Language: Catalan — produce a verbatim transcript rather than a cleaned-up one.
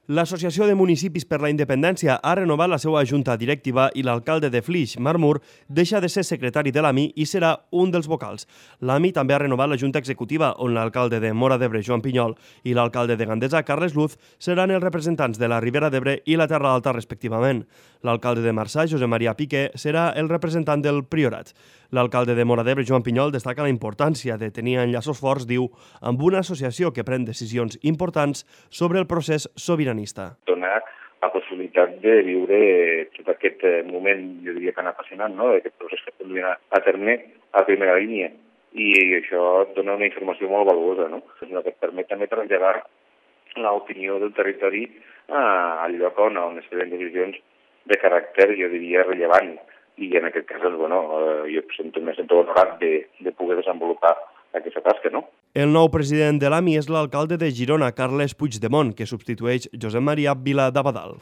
L'Associació de Municipis per la Independència ha renovat la seva junta directiva i l'alcalde de Flix, Marc Mur, deixa de ser secretari de l'A M I i serà un dels vocals. L'A M I també ha renovat la junta executiva, on l'alcalde de Móra d'Ebre, Joan Pinyol, i l'alcalde de Gandesa, Carles Luz, seran els representants de la Ribera d'Ebre i la Terra Alta, respectivament. L'alcalde de Marçà, Josep Maria Piqué, serà el representant del Priorat. L'alcalde de Móra d'Ebre, Joan Pinyol, destaca la importància de tenir enllaços forts, diu, amb una associació que pren decisions importants sobre el procés sobiranista. Donar la possibilitat de viure tot aquest moment, jo diria tan apassionant, no?, d'aquest procés que podem donar a terme a primera línia. I això dona una informació molt valuosa, no?, que et permet també traslladar l'opinió del territori al lloc on es prenen decisions de caràcter, jo diria, rellevant. I en aquest cas, bueno, jo me sento honorat de, de poder desenvolupar aquesta tasca, no? El nou president de l'A M I és l'alcalde de Girona, Carles Puigdemont, que substitueix Josep Maria Vila d'Abadal.